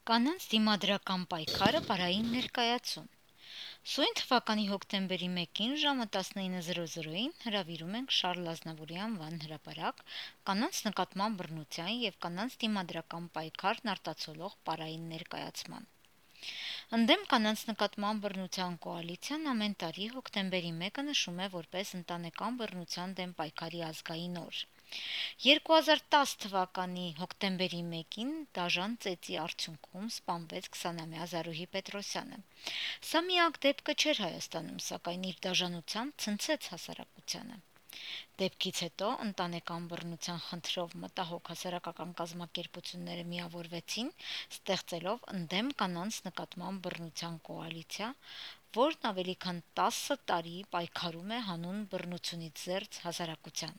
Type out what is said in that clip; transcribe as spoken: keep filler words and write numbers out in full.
Կանանց դիմադրական պայքարը պարային ներկայացում։ Սույն թվականի հոկտեմբերի մեկին ժամը տասնինը զրո զրոյին հրավիրում ենք Շարլ Ազնավուրի անվան հրապարակ կանանց նկատմամբ բռնության և կանանց դիմադրական պայքարն արտացոլող պարային ներկայացման։ Ընդդեմ կանանց նկատմամբ բռնության կոալիցիան ամեն տարի հոկտեմբերի մեկը նշում է որպես ընտանեկան բռնության դեմ պայքարի ազգային օր։ երկու հազար տաս թվականի հոկտեմբերի մեկին դաժան ծեծի արդյունքում սպանվեց քսանամյա Զարուհի Պետրոսյանը։ Սա միակ դեպքը չէր Հայաստանում, սակայն իր դաժանությամբ ցնցեց հասարակությանը։ Դեպքից հետո ընտանեկան բռնության խնդրով մտահոգ հասարակական կազմակերպությունները միավորվեցին, ստեղծելով ընդդեմ կանանց նկատմամբ բռնության կոալիցիա, որն ավելի քան տասը տարի պայքարում է հանուն բռնությունից զերծ հասարակության։